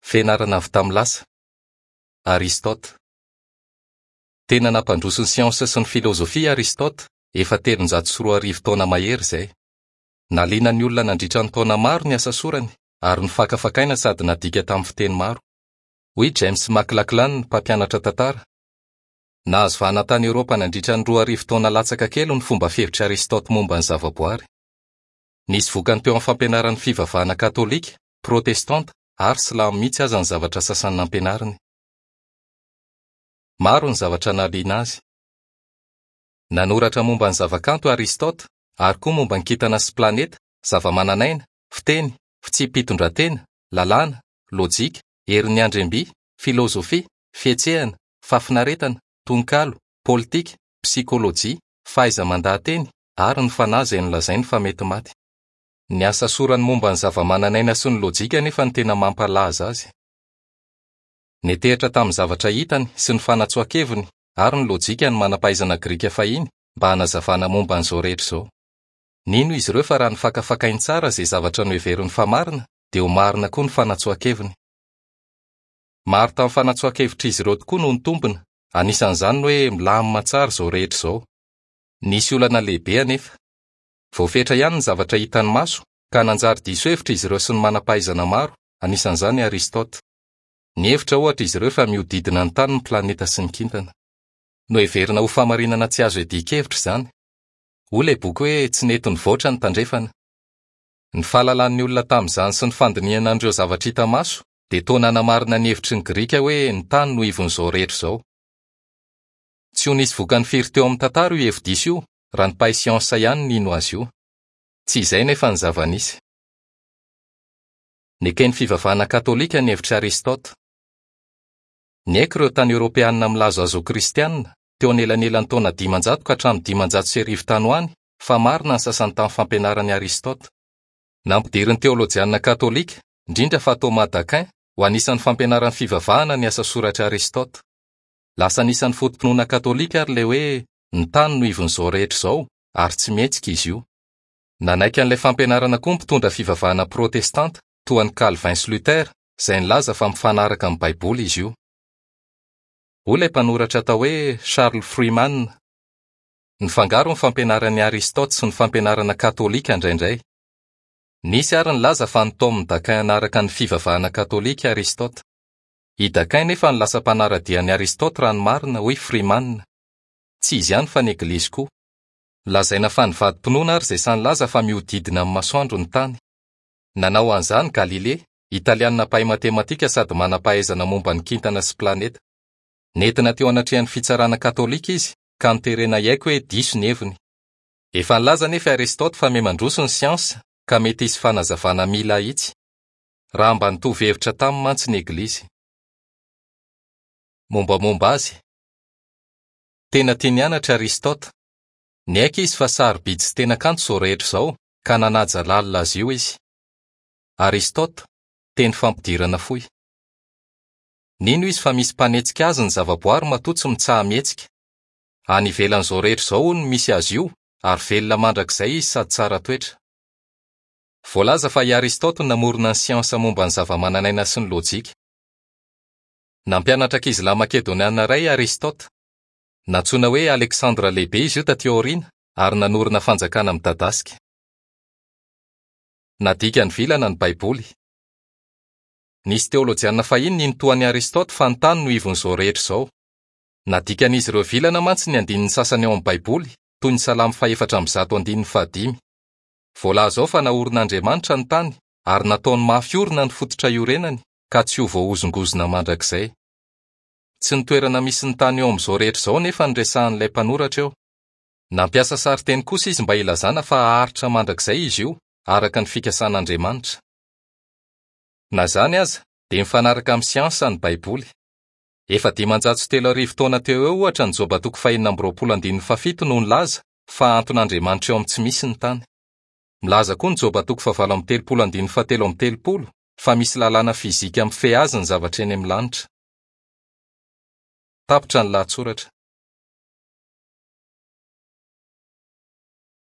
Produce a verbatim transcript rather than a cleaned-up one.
Fianarana avy tamin'ny lasa. Aristote. Tena nampandroso ny siansa sy ny filozofia Aristote efa telonjato sy roa arivo taona mahery izay. Naliana ny olona nandritra ny taona maro ny asa sorany ary nofakafakaina sady nadika tamin'ny fiteny maro. Hoy James McLachlan, mpampianatra tantara. Nahazo vahana tany Eoropa nandritra ny roa arivo taona latsaka kely ny fomba fihevitr'i Aristote momba ny zavaboary. Nisy vokany teo amin'ny fampianaran'ny fivavahana katolika, protestanta ary silamo mihitsy aza ny zavatra sasany nampianariny. Maro ny zavatra nahaliana azy. Nanoratra momba ny zavakanto Aristote ary koa momba ny kintana sy planeta, zavamananaina, fiteny, fitsipi-pitondran-tena, lalàna, lojika, herin'ny andriamby, filozofia, fihetsehana, fahafinaretana, tononkalo, politika, psikolojia, fahaiza-mandaha-teny ary ny fanahy izay nolazainy fa mety maty. Ny asa sorany momba ny zavamananaina sy ny lojika nefa no tena mampalaza azy. Nitehitra tamin'ny zavatra hitany sy ny fanatsoahan-keviny ary ny lojika ny manam-pahaizana grika fahiny mba hanazavana momba an'izao rehetra izao. Nino izy ireo fa raha nifakafakainy tsara izay zavatra noheveriny fa marina dia ho marina koa ny fanatsoahan-keviny. Maro tamin'ny fanatsoahan-kevitr'izy ireo tokoa no nitombina, anisan'izany ny hoe milamina tsara izao rehetra izao. Nisy olana lehibe anefa. Voafetra ihany ny zavatra hitan'ny maso ka nanjary diso hevitra izy ireo sy ny manam-pahaizana maro, anisan'izany Aristote. Nihevitra ohatra izy ireo fa mihodidina ny tany ny planeta sy ny kintana. Noheverina ho fahamarinana tsy azo iadian-kevitra izany. Hoy ilay boky hoe tsy nety nivoatra ny tandrefana. Ny fahalalan'ny olona tamin'izany sy ny fandinihana an'ireo zavatra hita maso dia toa nanamarina ny hevitry ny Grika hoe ny tany no ivon'izao rehetra izao. Tsy ho nisy vokany firy teo amin'ny tantara io hevi-diso io raha ny mpahay siansa ihany nino azy io. Tsy izay nefa ny zava-nisy. Neken'ny fivavahana katolika ny hevitr'i Aristote. Niaiky ireo tany Eoropeanina milaza azy ho kristianina teo anelanelan'ny taona dimanjato ka hatramin'ny dimanjato sy arivo tany ho any fa marina ny sasany tamin'ny fampianaran'i Aristote. Nampidirin'ny teolojianina katolika, indrindra fa Thomas d'Aquin, ho anisan'ny fampianaran'ny fivavahana ny asa soratr'i Aristote. Lasa anisan'ny foto-pinoana katolika ary ilay hoe ny tany no ivon'izao rehetra izao ary tsy mihetsika izy io. Nanaiky an'ilay fampianarana koa ny mpitondra fivavahana protestanta toa an'i Calvin sy Luther izay nilaza fa mifanaraka amin'ny Baiboly izy io. Hoy ilay mpanoratra atao hoe Charles Freeman. Nifangaro ny fampianaran'i Aristote sy ny fampianarana katolika indraindray. Nisy ary nilaza fa nitaomin'i d'Aquin hanaraka ny fivavahana katolika Aristote. I d'Aquin nefa no lasa mpanara-dia an'i Aristote raha ny marina, hoy Freeman. Tsy izy ihany fa ny eglizy koa. Lazaina fa nivadi-pinoana ary izay sahy nilaza fa mihodidina amin'ny masoandro ny tany. Nanao an'izany Galilée, italianina mpahay matematika sady manam-pahaizana momba ny kintana sy planeta. Nentina teo anatrehan'ny fitsarana katolika izy ka noterena hiaiky hoe diso ny heviny. Efa nilaza nefa Aristote fa miha-mandroso ny siansa ka mety hisy fanazavana mila ahitsy. Raha mba nitovy hevitra taminy mantsy ny eglizy. Mombamomba azy. Tena tia nianatra Aristote. Niaiky izy fa sarobidy sy tena kanto izao rehetra izao ka nanaja lalina azy io izy. Aristote, teny fampidirana fohy. Nino izy fa misy mpanetsika azy ny zavaboary matoa tsy mitsaha-mihetsika. Any ivelan'izao rehetra izao hono no misy azy io ary velona mandrakizay izy sady tsara toetra. Voalaza fa i Aristote no namorona ny siansa momba ny zavamananaina sy ny lojika. Nampianatra ankizilahy makedoniana iray Aristote. Nantsoina hoe Alexandre Lehibe izy io taty aoriana ary nanorina fanjakana midadasika. Nadika ny vilana ny Baiboly. Nisy teolojianina fahiny nino toa an'i Aristote fa ny tany no ivon'izao rehetra izao. Nadikan'izy ireo vilana mantsy ny andininy sasany ao amin'ny Baiboly, toy ny Salamo fahefatra amby zato andininy fahadimy. Voalaza ao fa naorin'Andriamanitra ny tany ary nataony mafy orina ny fototra iorenany ka tsy ho voahozongozona mandrakizay. Tsy ny toerana misy ny tany eo amin'izao rehetra izao nefa no resahan'ilay mpanoratra eo. Nampiasa sarinteny kosa izy mba hilazana fa haharitra mandrakizay izy io araka ny fikasan'Andriamanitra. Na izany aza dia mifanaraka amin'ny siansa ny Baiboly. Efa dimanjato sy telo arivo taona teo eo ohatra ny Joba toko fahenina amby roapolo andininy fahafito no nilaza fa anton'Andriamanitra eo amin'ny tsy misy ny tany. Milaza koa ny Joba toko fahavalo amby telopolo andininy fahatelo amby telopolo fa misy lalàna fizika mifehy azy ny zavatra eny amin'ny lanitra. Tapitra ny lahatsoratra.